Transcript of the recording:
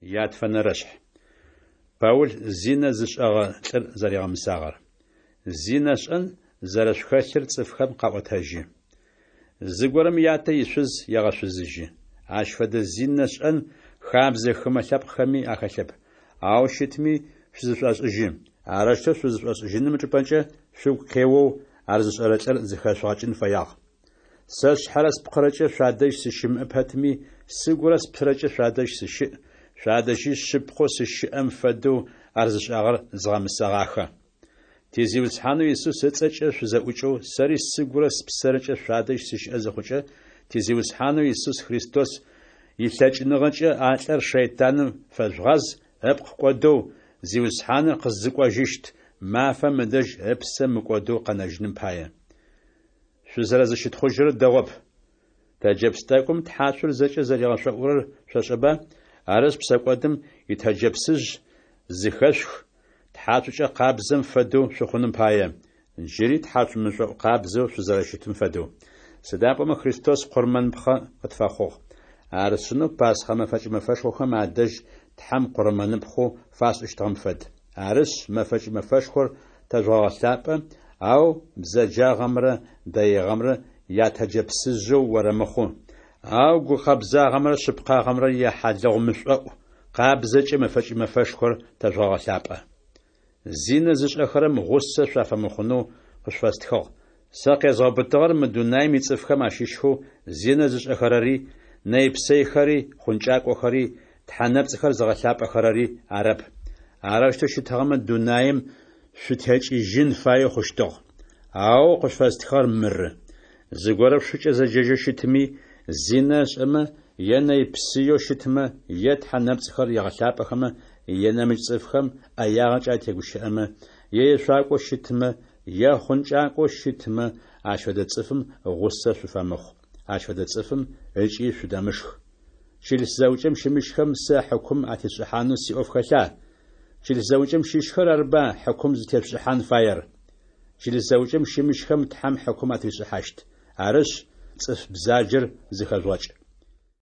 Ятфэнэрэшъхь. Паул зинэ зышӏэгъэ лӏыр зэригъэмысагъэр. Зинэ шӏэн зэрэшъухэлъыр цӏыфхэм къаӏотэжьы. Зыгорэм ятэ ишъуз егъэшъузыжьы. Ащ фэдэ зинэ шӏэн хабзэ хымэ лъэпкъхэми ахэлъэп. Ау щытми шъузышӏошӏыжьы. Арэущтэу шъузышӏошӏыжьыным ычӏыпӏэкӏэ шъугу къеоу ар зышӏэрэ лӏыр зэхэшъугъэкӏын фэягъ. Сэ сшъхьэрэ спкъырэкӏэ шъуадэжь сыщымыӏэ пэтми, сыгурэ спсэрэкӏэ шъуадэжь сыщыӏ, шъуадэжьи шъыпкъэу сыщыӏэм фэдэу ар зышӏагъэр згъэмысэгъахэ. Ти Зиусхьанэу Исус ыцӏэкӏэ шъузэӏукӏэу, сэри сыгурэ спсэрэкӏэ шъуадэжь сыщыӏэ зыхъукӏэ, ти Зиусхьанэу Исус Христос илъэкӏыныгъэкӏэ а лӏыр шэйтаным фэжъугъаз, ыпкъ кӏодэу, Зиусхьаныр къызыкӏожьыщт мафэм ыдэжь ыпсэ мыкӏодэу къэнэжьыным пае. Шъузэрэзыщытхъужьырэр дэгъоп. Тэджэпс тӏэкӏум тхьацур зэкӏэ зэригъэшӏоӏурэр шъошӏэба? Арышъ, псэкӏодым итэджэпсыжъ зыхэшъух, тхьацукӏэ къабзэм фэдэу шъухъуным пае, джыри тхьацу мышӏоӏу къабзэу шъузэрэщытым фэдэу. Сыда пӏомэ Христос къурмэныпхъэ къытфэхъугъ. Ар сшӏынэу Пасхъэ мэфэкӏ мэфэшхохэм адэжь Тхьэм къурмэныпхъэу фашӏыщтыгъэм фэд. Арышъ, мэфэкӏ мэфэшхор тэжъугъэгъэлъапӏэ, ау бзэджагъэмрэ дэигъэмрэ ятэджэпсыжъэу орэмыхъу, ау гукъэбзагъэмрэ шъыпкъагъэмрэ яхьалыгъу мышӏоӏу къабзэкӏэ мэфэкӏ мэфэшхор тэжъугъэгъэлъапӏэ. Зинэ зышӏэхэрэм гъусэ шъуафэмыхъунэу къышъуфэстхыгъ. Сэ къезгъэубытыгъэр мы дунаим ицӏыфхэм ащыщхэу зинэ зышӏэхэрэри, нэйпсэйхэри, хъункӏакӏохэри, тхьэ нэпцӏхэр зыгъэлъапӏэхэрэри арэп. Арэущтэу щытыгъэмэ, дунаим шъутекӏыжьын фаеу хъущтыгъ. Ау къышъуфэстхыгъэр мыры: зыгорэ шъушыкӏэ зэджэжьэу щытми, зинэ ышӏэмэ, е нэйпсыеу щытмэ, е тхьэ нэпцӏхэр егъэлъапӏэхэмэ, е нэмыкӏ цӏыфхэм ӏэягъэкӏэ атегущыӏэмэ, е ешъуакӏоу щытмэ, е хъункӏакӏоу щытмэ, ащ фэдэ цӏыфым гъусэ шъуфэмыхъу, ащ фэдэ цӏыфым ыкӏи шъудэмышх. Чылыс зэӏукӏэм щымыщхэм сэ хьыкум атесшӏыхьанэу сиӏоф хэлъа? Чылыс зэӏукӏэм щыщхэр арба хьыкум зытешъушӏыхьан фаер? Чылыс зэӏукӏэм щымыщхэм Тхьэм хьыкум атришӏыхьащт. Арышъ, цӏыф бзаджэр зыхэжъугъэкӏ.